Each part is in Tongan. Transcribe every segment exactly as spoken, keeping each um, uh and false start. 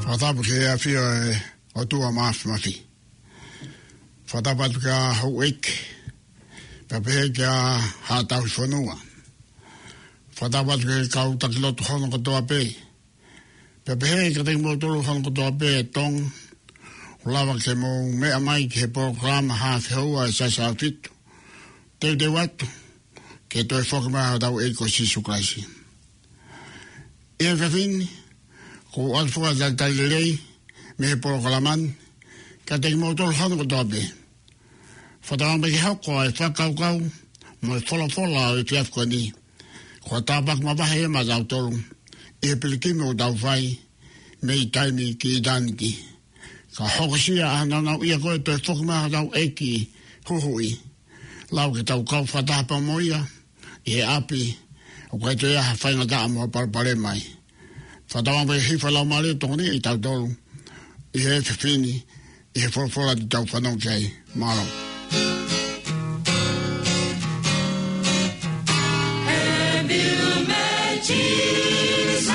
Fakatapu ki he ʻafio ʻa e ʻOtua Māfimafi. Fakatapu atu ki he houʻeiki, pea pehē ki he haʻa tauhi fonua. Fakatapu atu ki he kau taki lotu hono kotoa pē, pea pehē kiate kimoutolu hono kotoa pē ʻi Tonga, ʻoku lava ke mou meʻa mai ki he polokalama Haafe Houa ʻa e Siasi ʻAhofitu. Teuteu atu ki he toe foki mai hotau ʻEiki ko Sīsū Kalaisi. ʻI he efiafi ni, ʻoku ou ʻoatu foki ʻa e talitali lelei mei he polokalama ni kiate kimoutolu hono kotoa pē. Fakatauange pē ke hoko ʻa e fakakaukau mo e folofola ʻo e efiafi ko eni, ko ha tāpuaki mavahe ia maʻatautolu ʻi he pilikimi ʻoku tau fai mei taimi ki ʻitāniti. Ka hokosia ʻa e nāunauʻia ko e toe foki mai hotau ʻEiki Huhuʻi, lava ke tau kau fakataha pea mo ia ʻi he ʻapi ʻoku ʻikai toe ʻi ai ha faingataʻa mo ha palopalema ai. Fakatauange pē ke hifo e Laumālie ʻo tokoniʻi kitautolu ʻi he efiafi ni ʻi he folofola te tau fanongo ki ai. Mālō. Have you met Jesus,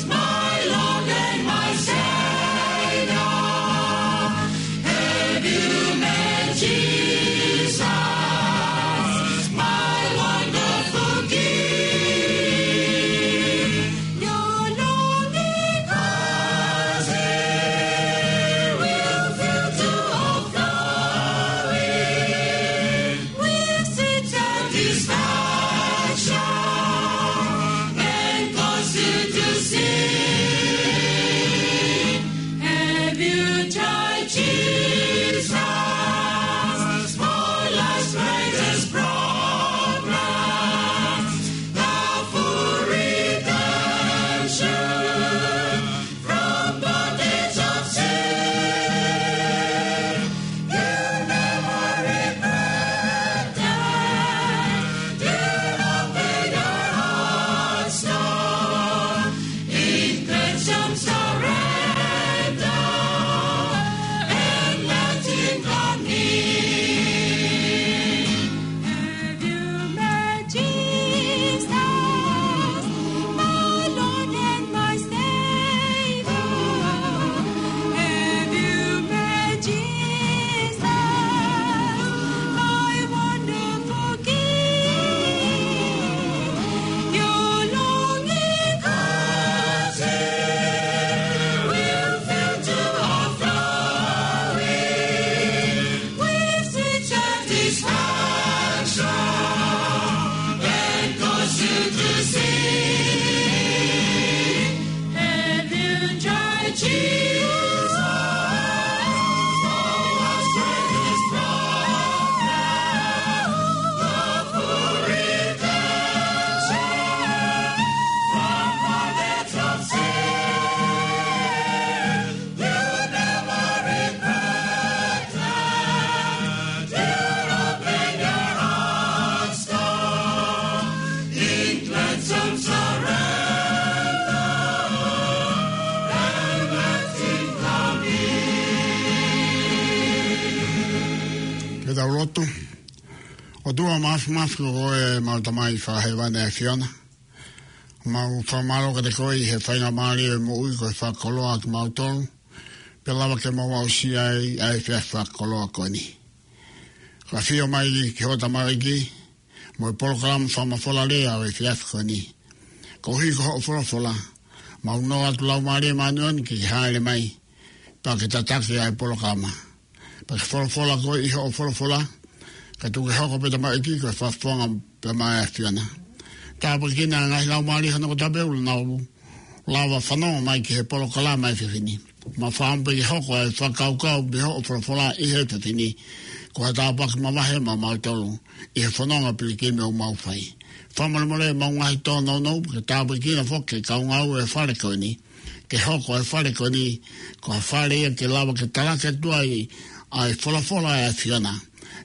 my Lord and my Savior? Have you met Jesus, my wonderful King? Your longing heart will fill to overflowing with sweet satisfaction and cause you to sing. Have you tried Jesus for life's greatest problem? The full redemption from bondage of sin. You never regret that. You open your hearts, Lord, in cleansing surrender and let him come in. Have you met Jesus, my Lord and my Savior? Have you met Jesus, my wonderful King? Your longing heart will fill to overflowing with sweet satisfaction and cause you to sing. Have you tried Jesus? For us greatest problem, the full redemption from bondage of sin. You never regret that. You open your hearts, Lord, in cleansing surrender and let him come in. Ke tau lotu. ʻOtua Māfimafi, ko koe ʻemau Tamai fakahēvani ʻa e ʻAfiona. Mau fakamālō kiate koe ʻi he faingamālie ʻo e moʻui kuo ke fakakoloa kimautolu, pea lava ke mau aʻusia ai ʻa e efiafi fakakoloa ko eni. Ka ʻafio mai ki hoʻo tamaiki mo e polokalama fakamafola lea ʻo e efiafi ko eni. Koeʻuhi ko hoʻo folofola, mau nofo atu Laumālie Māʻoniʻoni ke ke hāʻele mai, pea ke tataki ʻa e polokalama. Pea ke folofola koe ʻi hoʻo folofola, kae tuku ke hoko pē tamaiki ko e fakafofonga pē maʻa e ʻAfiona. Tāpuekina ʻa e ngaahi laumālie hono kotoa pē ʻoku nau lava fanongo mai ki he polokalama ʻo e efiafi ni. Mau fakaʻamu pē ke hoko ʻa e fakakaukau mei hoʻo folofola ʻi he efiafi ni, ko ha tāpuaki mavahe maʻamautolu ʻi he fononga pilikimi ʻoku mau fai. Fakamolemole ʻemau ngaahi tōnounou, ke tāpuekina foki e kau ngāue ʻo e fale ko eni, ke hoko ʻa e fale ko eni ko ha fale ia ke lava ke talaki atu ai ʻa e folofola ʻa e ʻAfiona.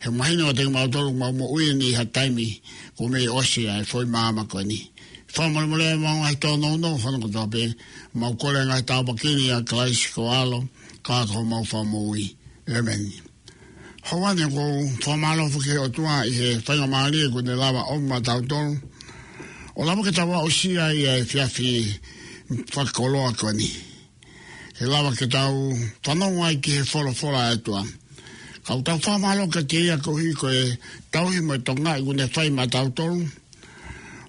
He mahino kiate kimautolu ʻoku mau moʻui eni ʻi ha taimi kuo mei ʻosi ʻa e foʻi maama ko eni. Fakamolemole ʻemau ngaahi tōnounou hono kotoa pē, mau kole ʻa e ngaahi tāpuaki ni ʻia Kalaisi ko ho ʻAlo, ka ko homau Fakamoʻui. ʻĒmeni. Houʻeiki, ʻoku ou fakamālō foki ki he ʻOtua ʻi he faingamālie kuo ne lava ʻo ʻomi maʻatautolu ʻo lava ke tau aʻusia ʻa e efiafi fakakoloa ko eni, ke lava ke tau fanongo ai ki he folofola ʻa e ʻOtua. Ka ʻoku tau fakamālō kiate ia koeʻuhi ko e tauhi mo e tokangaʻi kuo ne fai maʻatautolu.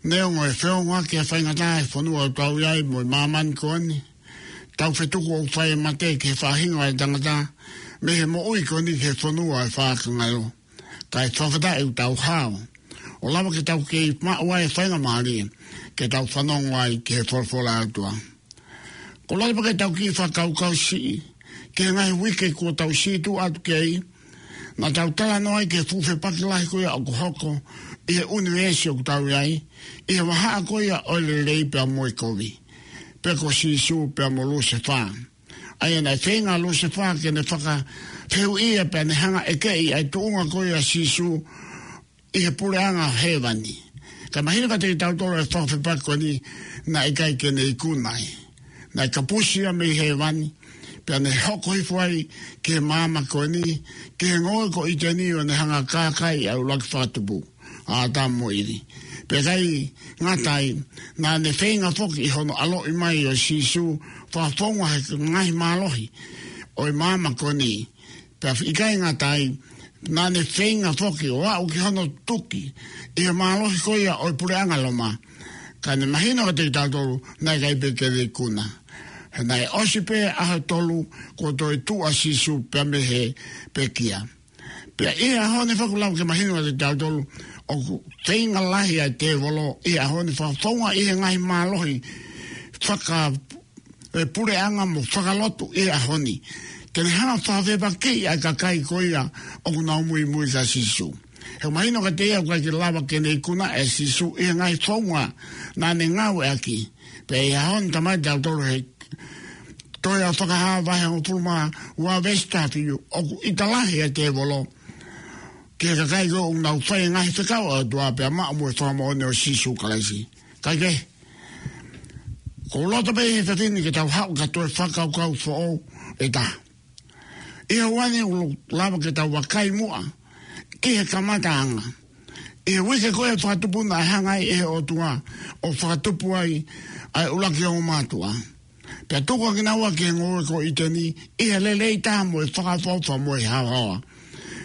Neongo e feʻunga ki he faingataʻa ʻi he fonua ʻoku tau ʻi ai mo e māmani ko eni, tau fetuku ʻoku fai e mate ki he faʻahinga ʻo e tangata mei he moʻui ko eni ki he fonua ʻo e faʻahinga ngalo. Kae fakafetaʻi ʻoku tau hao ʻo lava ke tau kei maʻu ai e faingamālie ke tau fanongo ai ki he folofola ʻa e ʻOtua. Ko e lava pē ke tau kiʻi fakakaukau siʻi ki he ngaahi uike kuo tau sītuʻa atu ki ai, naʻa tau talanoa ai ki he fuʻu fepaki lahi ko ia ʻoku hoko ʻi he ʻunivēsi ʻoku tau ʻi ai, ʻi he vahaʻa ko ia ʻo e lelei pea mo e kovi, pe ko Sīsū pea mo Lusefā. ʻA ia naʻe feinga ʻa Lusefā ke ne fakafehuʻia pea ne hanga ʻo ʻekeʻi ʻa e tuʻunga ko ia ʻo Sīsū ʻi he puleʻanga hēvani. Ka mahino kiate kitautolu ʻa e fakafepaki ko eni, naʻe ʻikai ke ne ikuna ai. Naʻe kapusi ia mei hēvani, pea ne hoko hifo ai ki he māmani ko eni, ki he ngoue ko ʻĪteni, ʻo ne hanga ʻo kākaaʻi ʻa e ʻuluaki fakatupu, ʻa ʻĀtama mo ʻIvi. Pea ʻikai ngata ai, naʻa ne feinga foki ʻi hono ʻaloʻi mai ʻo Sīsū, fakafounga he ngaahi mālohi ʻo e māmani ko eni. Pea ʻikai ngata ai, naʻa ne feinga foki ʻo aʻu ki hono tuki ʻi he mālohi ko ia ʻo e puleʻanga Loma. Ka ne mahino kiate kitautolu naʻe ʻikai pē ke ne ikuna. He naʻe ʻosi pē ʻaho ʻe tolu kuo toe tuʻu ʻa Sīsū pea mei he pekia. Pea ʻi he ʻaho ni foki ʻoku lava ke mahino kiate kitautolu ʻoku feinga lahi ʻa e tēvolo ʻi he ʻaho ni, fakafounga ʻi he ngaahi mālohi faka- e puleʻanga mo fakalotu ʻi he ʻaho ni, ke ne hanga ʻo fakafepakiʻi ʻa e kakai ko ia ʻoku nau muimui kia Sīsū. He mahino kiate ia ʻoku ʻikai ke lava ke ne ikuna ʻe Sīsū ʻi he ngaahi founga naʻa ne ngāueʻaki. Pea ʻi he ʻaho ni, talamai kiate kitautolu ʻe he tohi ʻa Fakahā vahe hongofulu mā ua veesi taha fitu, ʻoku ʻita lahi ʻa e tēvolo ki he kakai ko ia ʻoku nau fai e ngaahi fekau ʻa e ʻOtua pea maʻu mo e fakamoʻoni ʻo Sīsū Kalaisi. Kae kehe, ʻoku ou loto pē he efiafi ni ke tau haʻu ki ha toe fakakaukau foʻou ʻe taha. ʻI he ʻaho ni ʻoku lava ke tau vakai muʻa ki he kamataʻanga. ʻI he uike ko ia ʻo e fakatupu naʻe hanga ai ʻe he ʻOtua ʻo fakatupu ai ʻa e ʻuluaki ongo mātuʻa. Pea tuku ʻa kinaua ki he ngoue ko ʻĪteni ʻi he lelei taha mo e fakaʻofoʻofa mo e haohaoa.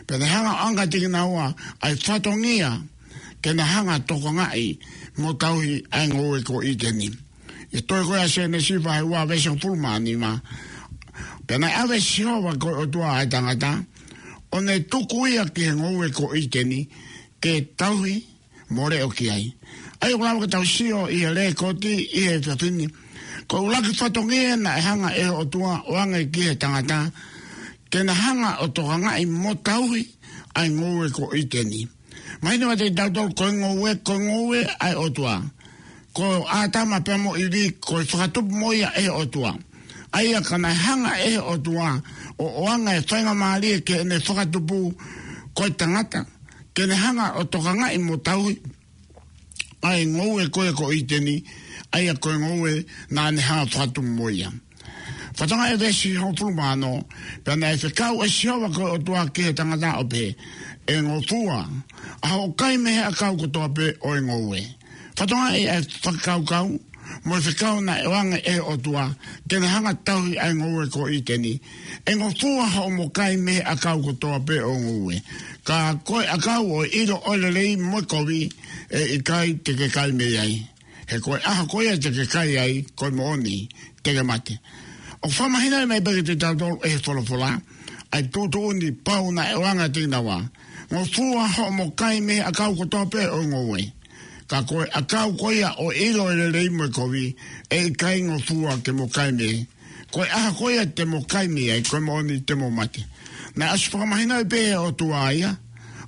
Pea ne hanga ʻo ʻoange kiate kinaua ʻa e fatongia ke na hanga ʻo tokangaʻi mo tauhi ʻa e ngoue ko ʻĪteni. ʻI he tohi ko ia ʻa Sēnesi vahe ua veesi hongofulu mā nima. Pea naʻe ʻave ʻe Sihova ko e ʻOtua ʻa e tangata, ʻo ne tuku ia ki he ngoue ko ʻĪteni, ke tauhi mo leʻo ki ai. ʻA ia ʻoku lava ke tau sio ʻi he lēkooti ʻi he efiafi ni, ko e ʻuluaki fatongia naʻe hanga ʻe he ʻOtua ʻo ʻoange ki he tangata, ke na hanga ʻo tokangaʻi mo tauhi ʻa e ngoue ko ʻĪteni. Mahino kiate kitautolu ko e ngoue, ko e ngoue ʻa e ʻOtua. Ko ʻĀtama pea mo ʻIvi, ko e fakatupu mo ia ʻe he ʻOtua. ʻA ia ka naʻe hanga ʻe he ʻOtua ʻo ʻoange e faingamālie ki heʻene fakatupu ko e tangata, ke ne hanga ʻo tokangaʻi mo tauhi ʻa e ngoue ko ia ko ʻĪteni, ʻa ia ko e ngoue naʻa ne hanga ʻo fakatupu mo ia. Fakatokangaʻi e veesi hongofulu mā ono, pea naʻe fekau ʻe Sihova ko e ʻOtua ki he tangata ʻo pehē, ʻE ngofua ʻa hoʻo kai mei he ʻakau kotoa pē ʻo e ngoue. Fakatokangaʻi ʻa e fakakaukau mo e fekau naʻe ʻoange ʻe he ʻOtua ke ne hanga ʻo tauhi ʻa e ngoue ko ʻĪteni. ʻE ngofua hoʻomo kai mei he ʻakau kotoa pē ʻo e ngoue. Ka ko e ʻakau ʻo e ʻilo ʻo e lelei mo e kovi, ʻe ʻikai te ke kai mei ai. He ko e ʻaho ko ia te ke kai ai, ko e moʻoni te ke mate. ʻOku fakamahinoʻi mai pē kiate kitautolu ʻe he folofola ʻa e tuʻutuʻuni pau naʻe ʻoange kiate kinaua. Ngofua hoʻomo kai mei he ʻakau kotoa pē ʻo e ngoue. Ka ko e ʻakau ko ia ʻo e ʻilo ʻo e lelei mo e kovi, ʻe ʻikai ngofua ke mo kai mei ai. Ko e ʻaho ko ia te mo kai mei ai, ko e moʻoni te mo mate. Naʻe ʻosi fakamahinoʻi pē ʻe he ʻOtua ia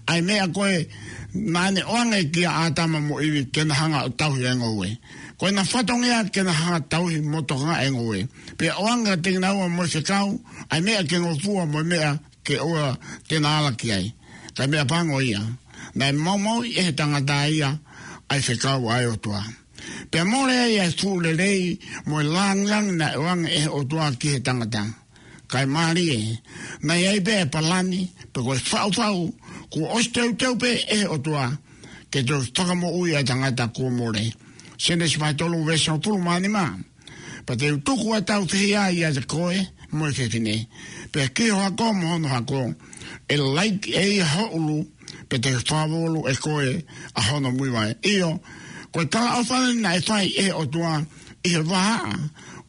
ʻa e meʻa ko ē naʻa ne ʻoange kia ʻĀtama mo ʻIvi ke na hanga ʻo tauhi ʻa e ngoue. Ko ʻena fatongia ke na hanga ʻo tauhi mo tokangaʻi ʻa e ngoue. Pea ʻoange kiate kinaua mo e fekau ʻa e meʻa ke ngofua mo e meʻa ke ʻoua te na ala ki ai. Ka ko e meʻa pango ia, naʻe maumauʻi ʻe he tangata ia ʻa e fekau ʻa e ʻOtua. Pea mole ai ʻa e fuʻu lelei mo e lāngilangi naʻe ʻoange ʻe he ʻOtua ki he tangata. kae mālie. Naʻe ʻi ai pē ʻa e palani, pe ko e faʻufaʻu, kuo ʻosi teuteu pē ʻe he ʻOtua ke toe fakamoʻui ʻa e tangata kuo mole. Sēnesi vahe tolu veesi hongofulu mā nima. Pea te u tuku ʻa e taufehiʻa ʻiate koe mo e fefine, pea ki ho hako mo hono hako. ʻE laiki ʻe ia ho ʻulu, pea te fakavolu ʻe koe ʻa hono muivaʻe. ʻIo, ko e talaʻofa eni naʻe fai ʻe he ʻOtua ʻi he vahaʻa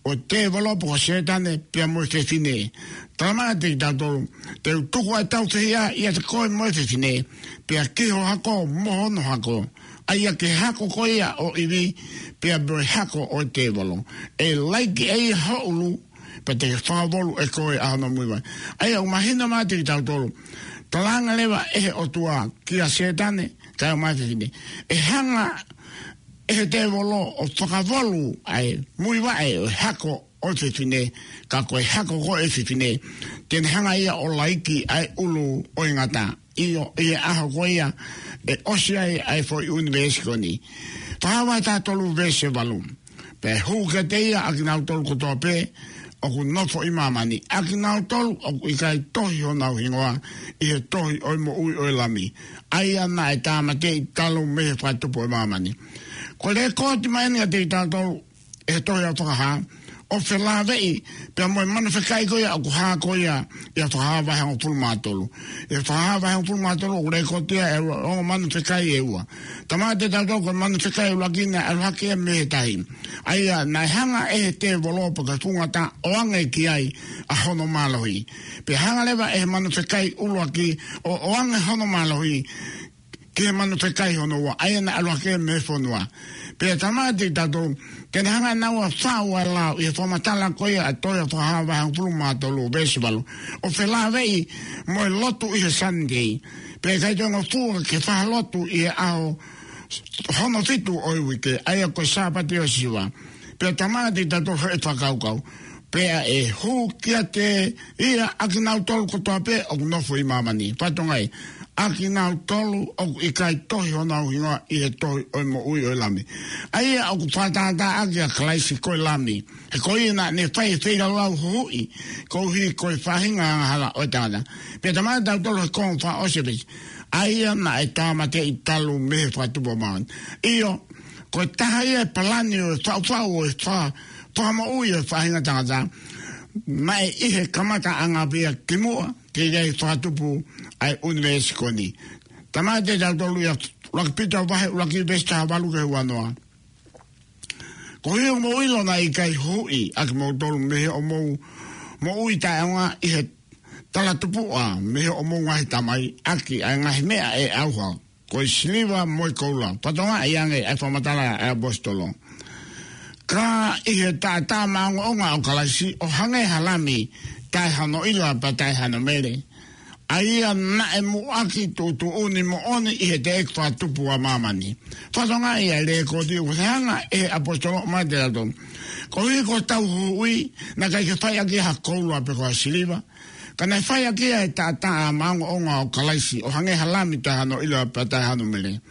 ʻo e tēvolo pe ko Sētane pea mo e fefine. Talamai kiate kitautolu, te u tuku ʻa e taufehiʻa ʻiate koe mo e fefine, pea ki ho hako mo hono hako. ʻA ia ki he hako ko ia ʻo ʻIvi, pea mo e hako ʻo e tēvolo. ʻE laiki ʻe ia ho ʻulu, pea te fakavolu ʻe koe ʻa hono muivaʻe. ʻA ia ʻoku mahino mai kiate kitautolu, talaange leva ʻe he ʻOtua kia Sētane, kae ʻumaʻā e fefine, ʻe hanga ʻe he tēvolo ʻo fakavolu ʻa e muivaʻe ʻo e hako ʻo e fefine, ka ko e hako ko ē ʻo e fefine, te ne hanga ia ʻo laiki ʻa e ʻulu ʻo e ngata. ʻIo, ʻi he ʻaho ko ia ʻe ʻosi ai ʻa e foʻi ʻunivēsi ko eni. Fakahā vahe taha tolu veesi valu. Pea hū kiate ia ʻa kinautolu kotoa pē ʻoku nofo ʻi māmani, ʻa kinautolu ʻoku ʻikai tohi honau hingoa ʻi he tohi ʻo e moʻui ʻo e Lami, ʻa ia naʻe tāmateʻi talu mei he fakatupu ʻo māmani. Ko e lēkooti mai eni kiate kitautolu ʻe he tohi ʻa Fakahā, ʻo felāveʻi pea mo e manu fekai ko ia ʻoku hā ko ia ʻia Fakahā vahe hongofulu mā tolu. ʻIa Fakahā vahe hongofulu mā tolu ʻoku lēkooti ai ʻa e ongo manu fekai ʻe ua. Talamai kiate kitautolu ko e manu fekai ʻuluaki naʻe ʻalu hake ia mei he tahi, ʻa ia naʻe hanga ʻe he tēvolo pe ko e fuʻu ngata ʻo ʻoange ki ai ʻa hono mālohi. Pea hanga leva ʻe he manu fekai ʻuluaki ʻo ʻoange hono mālohi ki he manu fekai hono ua, ʻa ia naʻe ʻalu hake mei he fonua. Pea talamai kiate kitautolu, te ne hanga ʻe naua ʻo faʻu ʻa e lao ʻi he fakamatala ko ia ʻa e tohi ʻa Fakahā vahe hongofulu mā tolu veesi valu, ʻo felāveʻi mo e lotu ʻi he Sunday. Pea ʻikai toe ngofua ke fai ha lotu ʻi he ʻaho hono fitu ʻo e uike, ʻa ia ko e Sāpate ʻo Siua. Pea talamai kiate kitautolu ʻe he fakakaukau, pea ʻe hū kiate ia ʻa kinautolu kotoa pē ʻoku nofo ʻi māmani. Fatongia, ʻa kinautolu ʻoku ʻikai tohi honau hingoa ʻi he tohi ʻo e moʻui ʻo e Lami, ʻa ia ʻoku fakatātā ʻaki ʻa Kalaisi ko e Lami. He ko ia naʻa ne fai e feilaulau huhuʻi koeʻuhi ko e faʻahinga angahala ʻo e tangata. Pea talamai kiate kitautolu he konga fakaʻosi ʻo e veesi, ʻa ia naʻe tāmateʻi talu mei he fakatupu ʻo māmani. ʻIo, ko e taha ia e palani ʻo e faʻufaʻu ʻo e fa-, fakamoʻui ʻo e faʻahinga tangata, naʻe ʻi he kamataʻanga pē ia kimuʻa teʻeki ai fakatupu ʻa e ʻunivēsi ko eni. Talamai kiate kitautolu ʻia ʻUluaki Pita vahe ʻuluaki veesi taha valu ki he ua noa. Koeʻuhi ʻoku mou ʻilo naʻe ʻikai huhuʻi ʻa kimoutolu mei hoʻomou moʻui taʻeʻaonga ʻi he talatupuʻa mei hoʻomou ngaahi tamai ʻaki ʻa e ngaahi meʻa ʻe ʻauha, ko e siliva mo e koula. Fatongia, ʻi he anga ʻa e fakamatala ʻa e ʻaposetolo. Ka ʻi he taʻataʻa maʻongoʻonga ʻo Kalaisi, ʻo hangē ha lami taʻe hano ʻila pea taʻe hano mele, ʻa ia naʻe muʻaki tuʻutuʻuni moʻoni ʻi he teʻeki fakatupu ʻa māmani. Fatongia, ʻa e lēkooti ʻoku ne hanga ʻe he ʻaposetolo ʻo ʻomai kiate kitautolu. Koeʻuhi ko hotau huhuʻi, naʻe ʻikai ke fai ʻaki ha koula pe ko ha siliva, ka naʻe fai ʻaki ʻa e taʻataʻa maʻongoʻonga ʻo Kalaisi, ʻo hangē ha lami taʻe hano ʻila pea taʻe hano mele,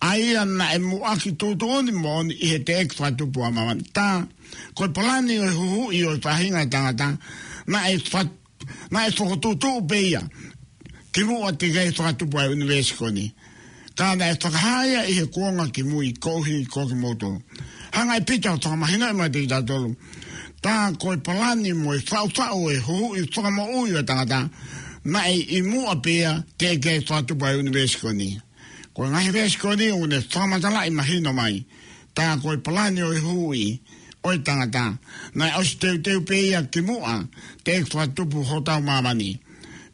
ʻa ia naʻe muʻaki tuʻutuʻuni moʻoni ʻi he teʻeki fakatupu ʻa māmani. Tā ko e palani ʻo e huhuʻi ʻo e faʻahinga tangata, naʻe fa-, naʻe fokotuʻutuʻu pē ia kimuʻa teʻeki ai fakatupu ʻa e ʻunivēsi ko eni. Ka naʻe fakahā ia ʻi he kuonga kimui koeʻuhi ko kimoutolu. Hanga ʻe Pita ʻo fakamahinoʻi mai kiate kitautolu, tā ko e palani mo e faʻufaʻu ʻo e huhuʻi fakamoʻui ʻo e tangata, naʻe ʻi muʻa pē ia teʻeki ai fakatupu ʻa e ʻunivēsi ko eni. Ko e ngaahi veesi ko eni ʻoku ne fakamatalaʻi mahino mai, tā ko e palani ʻo e huhuʻi ʻo e tangata, naʻe ʻosi teuteu pē ia kimuʻa teʻeki fakatupu hotau māmani.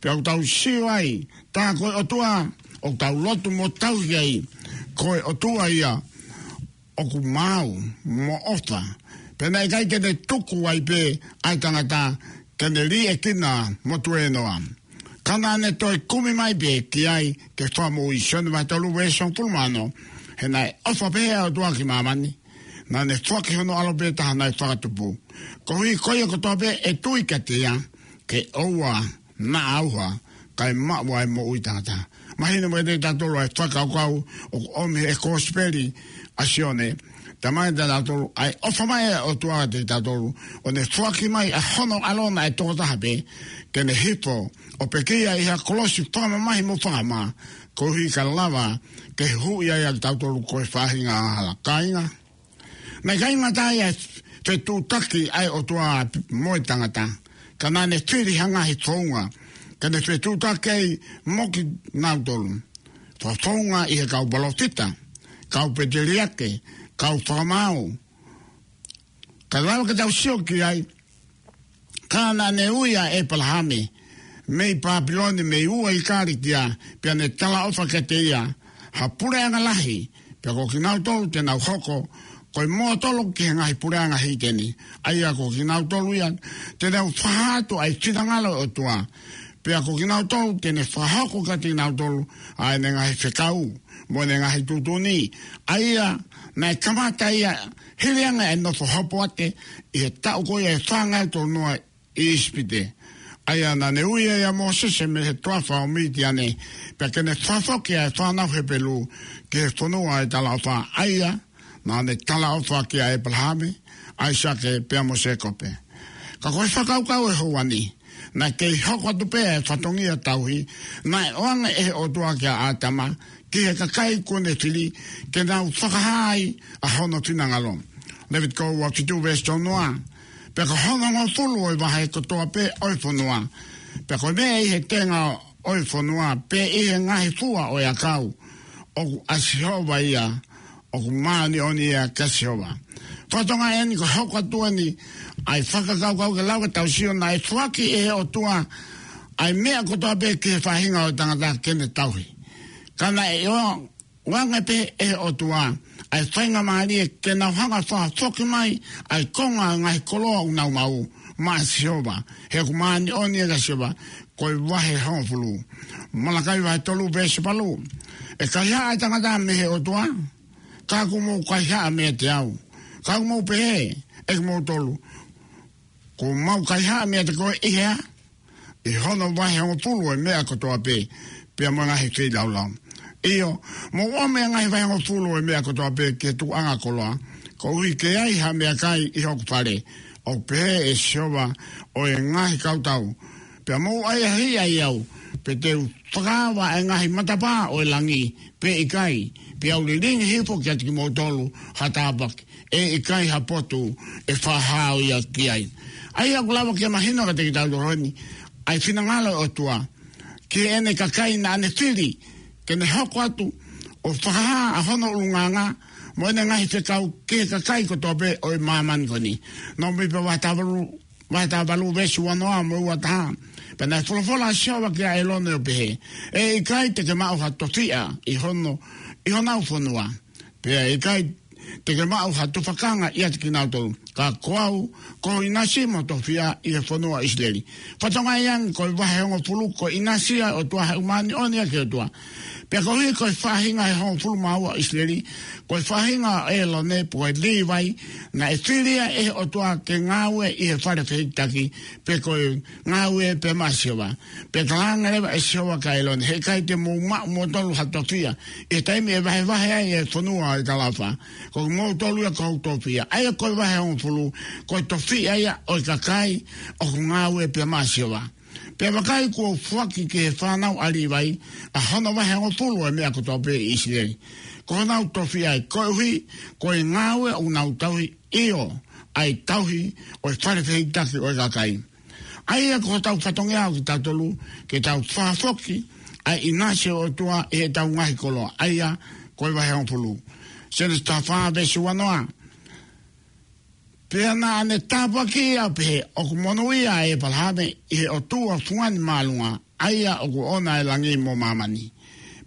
Pea ʻoku tau sio ai, tā ko e ʻOtua ʻoku tau lotu mo tauhi ai, ko e ʻOtua ia ʻoku maau mo ʻofa. Pea naʻe ʻikai ke ne tuku ai pē ʻa e tangata ke ne liʻekina mo tuēnoa, ka naʻa ne toe kumi mai pē ki ai ke fakamoʻui. Sione vahe tolu veesi hongofulu mā ono. He naʻe ʻofa pehē ʻa e ʻOtua ki māmani, naʻa ne foaki hono ʻAlo pē taha naʻe fakatupu, koeʻuhi ko ia kotoa pē ʻe tui kiate ia, ke ʻoua naʻa ʻauha, kae maʻu ʻa e moʻui taʻengata. Mahino mai kiate kitautolu ʻa e fakakaukau ʻoku ʻomi ʻe he Kosipeli ʻa Sione, Talamai kiate kitautolu, ʻa e ʻofa mai ʻa e ʻOtua kiate kitautolu, ʻo ne foaki mai ʻa hono ʻAlo naʻe toko taha pē, ke ne hifo ʻo pekia ʻi ha kolosi fakamamahi mo fakamā, koeʻuhi ka lava ke huhuʻi ai ʻa kitautolu ko e faʻahinga hala. Kāinga, naʻe ʻikai ngata ai ʻa e fetuʻutaki ʻa e ʻOtua mo e tangata, ka naʻa ne fili ha ngaahi founga ke ne fetuʻutaki ai mo kinautolu. Fakafounga ʻi he kau palōfita, kau pēteliake, kau fakamaau. Ka lava ke tau sio ki ai, ka naʻa ne ui ʻa ʻĒpalahame mei Papilone, mei ua ʻi Kalitia, pea ne talaʻofa kiate ia ha puleʻanga lahi, pea ko kinautolu te nau hoko ko e mōtolo ki he ngaahi puleʻanga hīteni. ʻA ia ko kinautolu ia te nau fakahā atu ʻa e finangalo ʻo e ʻOtua. Pea ko kinautolu te ne fakahoko kiate kinautolu ʻa ʻene ngaahi fekau mo ʻene ngaahi tuʻutuʻuni. ʻA ia naʻe kamata ia hili ange ʻa e nofo hopoate ʻi he taʻu ko ia ʻe fāngeau tolunoa ʻi ʻIsipite. ʻA ia naʻa ne ui ai ʻa Mōsese mei he toafa ʻo Mitiane, pea ke ne fakafoki ʻa e fānau Hepelū ki he fonua ʻo e talaʻofa. ʻA ia naʻa ne talaʻofa kia ʻĒpalahame, ʻAisake pea mo Sēkope. Ka ko e fakakaukau ʻo e houa ni, naʻe kei hoko atu pē ʻa e fatongia tauhi naʻe ʻoange ʻe he ʻOtua kia ʻĀtama ki he kakai kuo ne fili, ke nau fakahā ai ʻa hono finangalo. Levitiko ua fitu veesi tolunoa: Pea ko hono hongofulu ʻo e vahe kotoa pē ʻo e fonua, pea ko e meʻa ʻi he tenga ʻo e fonua, pe ʻi he ngaahi fua ʻo e ʻakau, ʻoku ʻa Sihova ia, ʻoku māʻoniʻoni ia kia Sihova. Fakatonga eni ko e hoko atu eni ʻa e fakakaukau, ke lava ke tau sio naʻe foaki ʻe he ʻOtua ʻa e meʻa kotoa pē ki he faʻahinga ʻo e tangata ke ne tauhi. Ka naʻe ʻo ʻoange pē ʻe he ʻOtua ʻa e faingamālie ke nau hanga ʻo fakafoki mai ʻa e konga ʻo e ngaahi koloa ʻoku nau maʻu maʻa Sihova, he ʻoku māʻoniʻoni ia kia Sihova. Ko e vahe hongofulu. Malakai vahe tolu veesi valu: ʻE kaihaʻa ʻa e tangata mei he ʻOtua? Ka ʻoku mou kaihaʻa meiate au. Ka ʻoku mou pehē ʻe kimoutolu, kuo mau kaihaʻa meiate koe ʻi he hā? ʻI hono vahe hongofulu ʻo e meʻa kotoa pē, pea mo e ngaahi feilaulau. ʻIo, mou ʻomi ʻa e ngaahi vahe hongofulu ʻo e meʻa kotoa pē ki he tukuʻanga koloa, koeʻuhi ke ʻi ai ha meʻakai ʻi hoku fale, ʻoku pehē ʻe Sihova ʻo e ngaahi kautau. Pea mou ʻahiʻahiʻi au, pea te u fakaava ʻa e ngaahi matapā ʻo e langi, pe ʻikai, pea u lilingi hifo kiate kimoutolu ha tāpuaki, ʻe ʻikai ha potu ʻe fakahā ia ki ai. ʻA ia ʻoku lava ke mahino kiate kitautolu eni ʻa e finangalo ʻo e ʻOtua ki heʻene kakai naʻa ne fili ke ne hoko atu ʻo fakahā ʻa hono ʻulungaanga mo ʻene ngaahi fekau ki he kakai kotoa pē ʻo e māmani ko eni. Nōmipa vahe taha valu, vahe taha valu veesi uanoa mo e uataha: Pea naʻe folofola ʻa Sihova kia ʻĒlone ʻo pehē, ʻE ʻikai te ke maʻu ha tofiʻa ʻi hono, ʻi honau fonua, pea ʻe ʻikai te ke maʻu ha tufakanga ʻiate kinautolu. Ka ko au, ko ho ʻinasi mo ho tofiʻa ʻi he fonua ʻo ʻIsileli. Fakatonga ange ko e vahe hongofulu, ko e ʻinasi ia ʻo e ʻOtua, he ʻoku māʻoniʻoni ia ki he ʻOtua. Pea koeʻuhi ko e faʻahinga ʻe hongofulu mā ua ʻo ʻIsileli, ko e faʻahinga ʻo ʻĒlone pe ko e Līvai, naʻe fili ia ʻe he ʻOtua ke ngāue ʻi he fale fehikitaki, pe ko e ngāue pē maʻa Sihova. Pea talaange leva ʻe Sihova kia ʻĒlone, He ʻikai te mou maʻu moutolu ha tofiʻa ʻi he taimi ʻe vahevahe ai ʻa e fonua ʻo e talaʻofa. Ko kimoutolu ia ko hoku tofiʻa. ʻA ia ko e vahe hongofulu, ko e tofiʻa ia ʻo e kakai ʻoku ngāue pē maʻa Sihova. Pea vakai, kuo u foaki ki he fānau ʻa Līvai ʻa hono vahe hongofulu ʻo e meʻa kotoa pē ʻi ʻIsileli, ko honau tofiʻa ia, koeʻuhi ko e ngāue ʻoku nau tauhi, ʻio, ʻa e tauhi ʻo e fale fehikitaki ʻo e kakai. ʻA ia ko hotau fatongia ʻo kitautolu, ke tau fakafoki ʻa e ʻinasi ʻo e ʻOtua ʻi heʻetau ngaahi koloa. ʻA ia ko e vahe hongofulu. Sēnesi taha fā veesi uanoa: Pea naʻa ne tāpuakiʻi ia ʻo pehē, ʻOku monūʻia ʻa ʻĒpalahame ʻi he ʻOtua Fungani Māʻolunga, ʻa ia ʻoku ʻoʻona ʻa e langi mo māmani.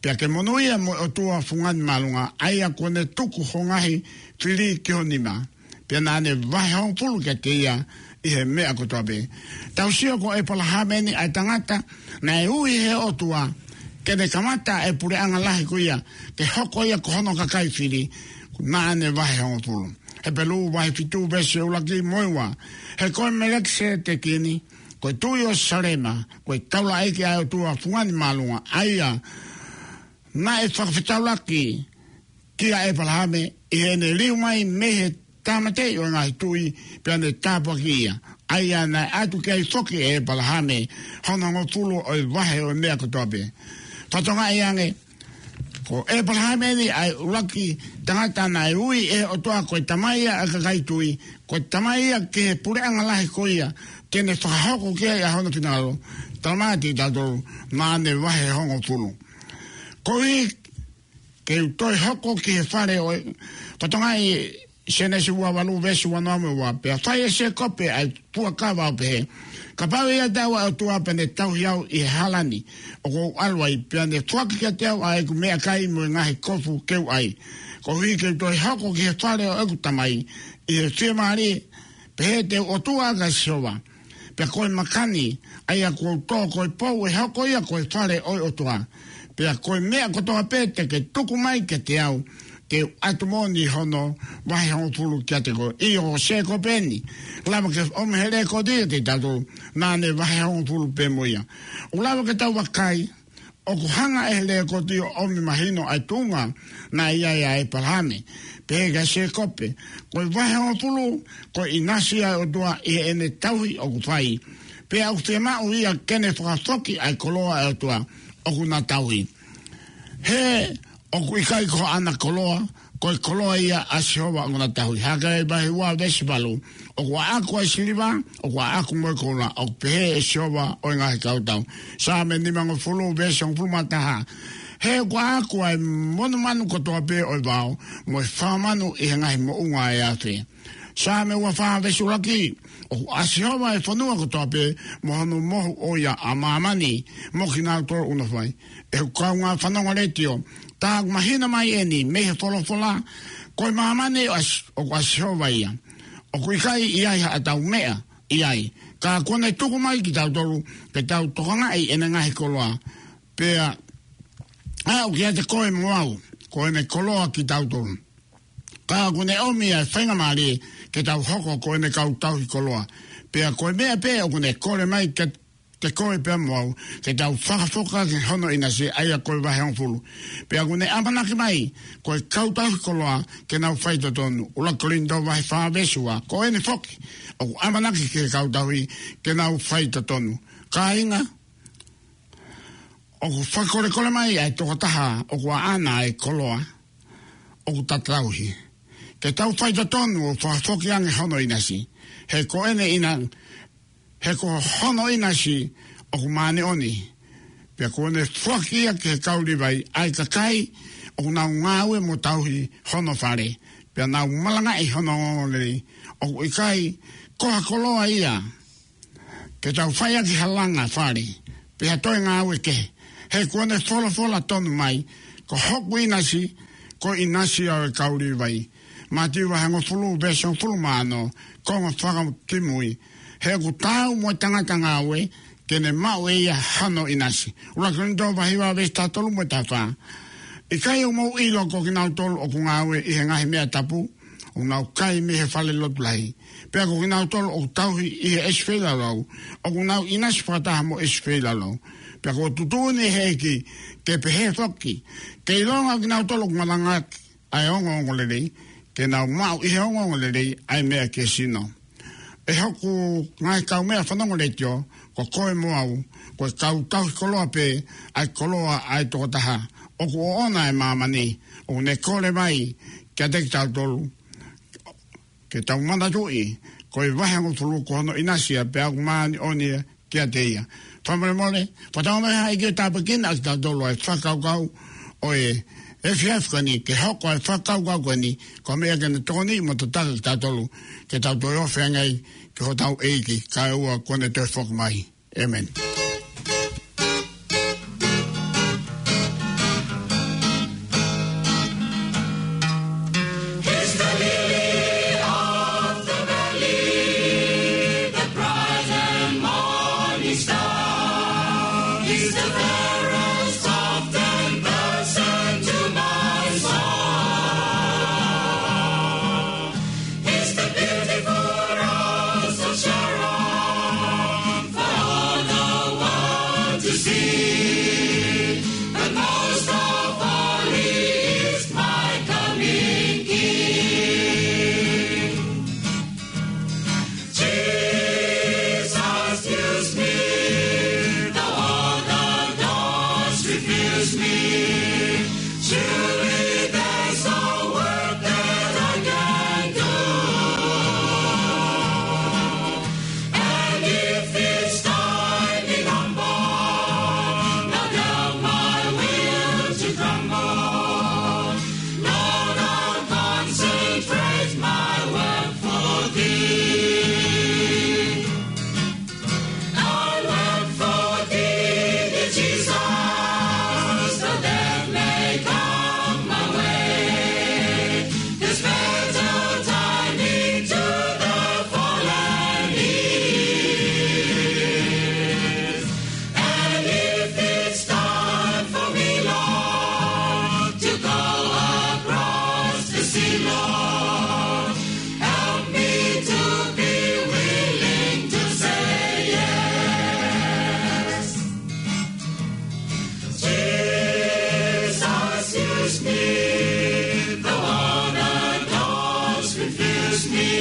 Pea ke monūʻia mo e ʻOtua Fungani Māʻolunga, ʻa ia kuo ne tuku ho ngaahi fili ki ho nima. Pea naʻa ne vahe hongofulu kiate ia ʻi he meʻa kotoa pē. Tau sio ko ʻĒpalahame eni ʻa e tangata naʻe ui ʻe he ʻOtua ke ne kamata ʻa e puleʻanga lahi ko ia, ke hoko ia ko hono kakai fili, naʻa ne vahe hongofulu. Hepelū vahe fitu veesi ʻuluaki mo e ua: He ko e Melekiseteki eni, ko e tuʻi ʻo Salema, ko e taulaʻeiki ʻa e ʻOtua Fungani Māʻolunga, ʻa ia naʻe fakafetaulaki kia ʻĒpalahame, ʻi heʻene liliu mai mei he tāmateʻi ʻo e ngaahi tuʻi, pea ne tāpuakiʻi ia. ʻA ia naʻe ʻatu ki ai foki ʻe ʻĒpalahame hono hongofulu ʻo e vahe ʻo e meʻa kotoa pē. Fakatokangaʻi ange, ko ʻĒpalahame eni ʻa e ʻuluaki tangata naʻe ui ʻe he ʻOtua ko e tamai ia ʻa e kakai tui, ko e tamai ia ki he puleʻanga lahi ko ia, te ne fakahoko ki ai ʻa hono finangalo. Talamai kiate kitautolu, naʻa ne vahe hongofulu. Koeʻuhi ke u toe hoko ki he fale ʻo e, fakatokangaʻi Sēnesi ua valu veesi ua noa mo e ua, pea fai ʻe Sēkope ʻa e fuakava ʻo pehē, kapau ʻe ʻiate au ʻa e ʻOtua pea ne tauhi au ʻi he hala ni ʻoku ou ʻalu ai, pea ne foaki kiate au ʻa ʻeku meʻakai mo e ngaahi kofu ke u ʻai, koeʻuhi ke u toe hoko ki he fale ʻo ʻeku tamai ʻi he fiemālie, pehē te u ʻOtua ʻa Sihova. Pea ko e maka ni, ʻa ia kuo u tō ko e pou ʻe hoko ia ko e fale ʻo e ʻOtua. Pea ko e meʻa kotoa pē te ke tuku mai kiate au, te u ʻatu moʻoni hono vahe hongofulu kiate koe. ʻIo, ko Sēkope eni, lava ke ʻomi he lekooti kiate kitautolu, naʻa ne vahe hongofulu pē mo ia. ʻOku lava ke tau vakai, ʻoku hanga ʻe he lekooti ʻo ʻomi mahino ʻa e tuʻunga naʻe ʻi ai ʻa ʻĒpalahame, pehē kia Sēkope, ko e vahe hongofulu, ko e ʻinasi ʻa e ʻOtua ʻi heʻene tauhi ʻoku fai. Pea ʻoku fiemaʻu ia ke ne fakafoki ʻa e koloa ʻa e ʻOtua ʻoku na tauhi. He ʻoku ʻikai ko haʻana koloa, ko e koloa ia ʻa Sihova ʻoku na tauhi. Hakeai vahe ua veesi valu, ʻoku ʻaʻaku ʻa e siliva, ʻoku ʻaʻaku mo e koula, ʻoku pehē ʻe Sihova ʻo e ngaahi kautau. Saame nimangofulu veesi hongofulu mā taha, he ʻoku ʻaʻaku ʻa e monumanu kotoa pē ʻo e vao, mo e fanga manu ʻi he ngaahi moʻunga ʻo e afe. Saame ua fā veesi ʻuluaki, ʻoku ʻa Sihova ʻa e fonua kotoa pē, mo hono mohu ʻo ia ʻa māmani, mo kinautolu ʻoku nofo ai. ʻE hoku kaungā fanongo letiō, tā ʻoku mahino mai eni mei he folofola, ko e māmani ʻo ʻa Si-, ʻoku ʻa Sihova ia. ʻOku ʻikai ʻi ai haʻatau meʻa ʻi ai. Ka kuo ne tuku mai kitautolu, ke tau tokangaʻi ʻene ngaahi koloa. Pea, aʻu kiate koe mo au, ko ʻene koloa kitautolu. Ka kuo ne ʻomi ʻa e faingamālie, ke tau hoko ko ʻene kau tauhi koloa. Pea ko e meʻa pē ʻoku ne kole mai kiate koe pea mo au, ke tau fakafoki ki hono ʻinasi, ʻa ia ko e vahe hongofulu. Pea kuo ne ʻamanaki mai, ko e kau tauhi koloa, ke nau faitotonu. ʻUluaki Kolinitō vahe fā veesi ua, ko eni foki, ʻoku ʻamanaki ki he kau tauhi, ke nau faitotonu. Kāinga, ʻoku fakakolekole mai ʻa e tokotaha ʻoku ʻaʻana ʻa e koloa ʻoku ta tauhi, ke tau faitotonu ʻo fakafoki ange hono ʻinasi. He ko ʻene ʻina-, he ko hono ʻinasi ʻoku māʻoniʻoni. Pea kuo ne foaki ia ki he kau Līvai, ʻa e kakai ʻoku nau ngāue mo tauhi hono fale, pea nau malangaʻi hono ongoongolelei. ʻOku ʻikai ko ha koloa ia ke tau fai ʻaki ha langa fale, pe ha toe ngāue kehe. He kuo ne folofola tonu mai, ko hoku ʻinasi, ko e ʻinasi ʻo e kau Līvai. Mātiu vahe hongofulu, veesi hongofulu mā ono, konga fakakimui. He ʻoku taau mo e tangata ngāue, ke ne maʻu ʻe ia hano ʻinasi. ʻUluaki Kolinitō vahe hiva veesi taha tolu mo e taha fā. ʻIkai ʻoku mou ʻilo ko kinautolu ʻoku ngāue ʻi he ngaahi meʻa tapu, ʻoku nau kai mei he fale lotu lahi. Pea ko kinautolu ʻoku tauhi ʻi he ʻesi feilaulau, ʻoku nau ʻinasi fakataha mo e ʻesi feilaulau. Pea kuo tuʻutuʻuni ʻe he ʻEiki, ke pehē foki, ke ʻilonga kinautolu ʻoku malangaʻaki ʻa e ongoongolelei, ke nau maʻu ʻi he ongoongolelei ʻa e meʻa ki he sino. ʻE hoku ngaahi kaumeʻa fanongo letiō, ko koe mo au, ko e kau tauhi koloa pē, ʻa e koloa ʻa e tokotaha ʻoku ʻoʻona ʻa e māmani, ʻoku ne kole mai kiate kitautolu, ke tau manatuʻi, ko e vahe hongofulu ko hono ʻinasi ia pea ʻoku māʻoniʻoni ia kiate ia. Fakamolemole, fakatau mai ha ʻEiki ʻo tāpuekina ʻa kitautolu ʻa e fakakaukau ʻo e efiafi ko eni, ke hoko ʻa e fakakaukau ko eni ko e meʻa ke ne tokoni mo tataki kitautolu, ke tau toe ofi ange ai ki hotau ʻEiki, kaeʻoua kuo ne toe foki mai. ʻĒmeni. He's the lily of the valley, the bright and morning star. He's the fairest of ten thousand to my soul. He's the beautiful rose of Sharon, for all the Refuse me. Surely there's no work that I can do. And if it's time in humble, not help my will to tremble. Lord, I'll concentrate my work for thee. I work for thee, dear Jesus, so that may come my way. This fatal timing to the fallen is. And if it's time for me, Lord, to go across the sea, Lord, help me to be willing to say yes. Jesus, use me, though all the doors refuse me.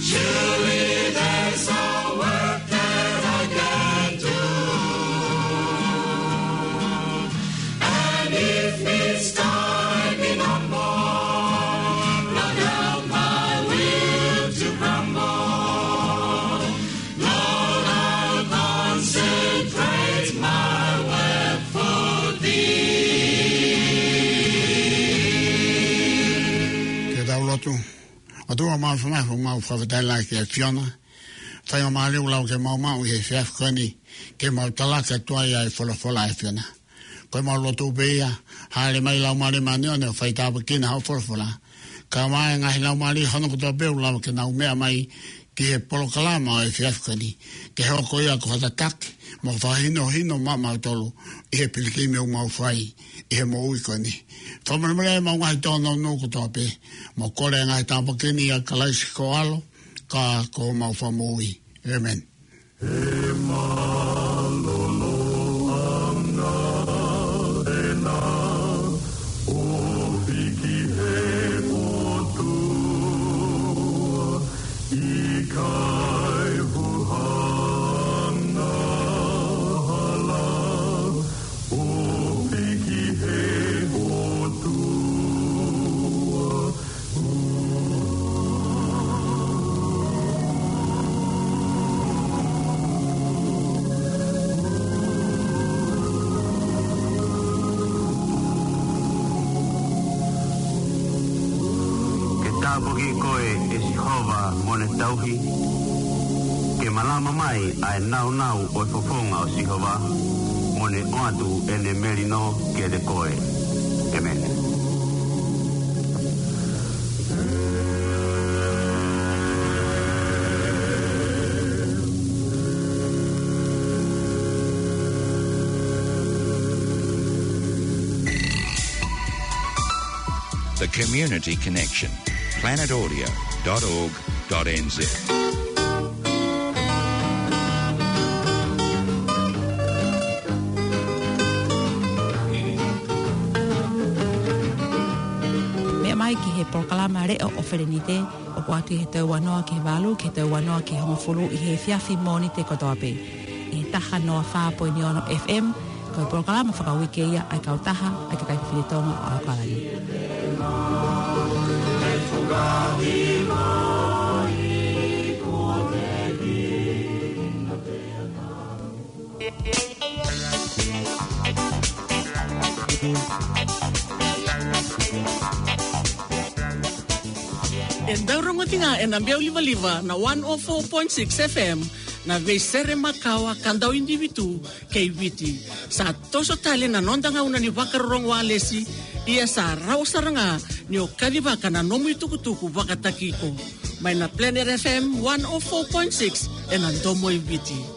Surely there's a work that I can do. And if it's time in a more, not help my will to grumble. Lord, I'll concentrate my work for thee. Ke tau lotu. ʻOtua Māfimafi, mau fakafetaʻi lahi ki he ʻAfiona. Faingamālie ʻoku lau ke mau maʻu ʻi he efiafi ko eni, ke mau talaki atu ai ʻa e folofola ʻa e ʻAfiona. Ko ʻemau lotu pē ia, hāʻele mai Laumālie Māʻoniʻoni ʻo fai tāpuekina hoʻo folofola. Kae ʻumaʻā e ngaahi laumālie hono kotoa pē ʻoku lava ke nau meʻa mai ki he polokalama ʻo e efiafi ko eni, ke hoko ia ko ha tataki mo fakahinohino maʻamautolu ʻi he pilikimi ʻoku mau fai ʻi he moʻui ko eni. Fakamolemole ʻemau ngaahi tōnounou kotoa pē, mau kole e ngaahi tāpuaki ni ʻia Kalaisi ko ho ʻAlo, ka ko homau Fakamoʻui. ʻĒmeni. He mālōlō ange ʻena ʻo hiki he ʻOtua, ʻikai huhanga hala ʻo hiki he ʻOtua. Ke tāpuakiʻi koe ʻe Sihova mo ne tauhi. Ke malama mai ʻa e nāunau ʻo e fofonga ʻo Sihova, mo ne ʻoatu ʻene melino kiate koe. ʻĒmeni. The Community Connection, planet audio dot org dot N Z. Meʻa mai ki he polokalama Leʻo ʻo Felenite, ʻoku ʻoatu ʻi he tau ua noa ki he valu, ki he tau ua noa ki he hongofulu ʻi he efiafi Mōnite kotoa pē. ʻI he taha noa fā poini ono F M, ko e polokalama fakauike ia ʻa e kautaha ʻa e kakai fefine Tonga ʻo ʻAokalani. ʻE tau rongotinga ʻena meʻa ʻo livaliva ʻa e one oh four point six F M, ʻa Veisere Makawa Kandaoini Vitu kei Viti. Sa toso tali ʻena nonda ngauna ni Vakaroro Uālesi, ʻio sa rau saranga ni ʻo kali vaka ʻena nomu ʻi tukutuku vakataki ko. Mai ʻena Planet F M one oh four point six ʻena domo ʻi Viti.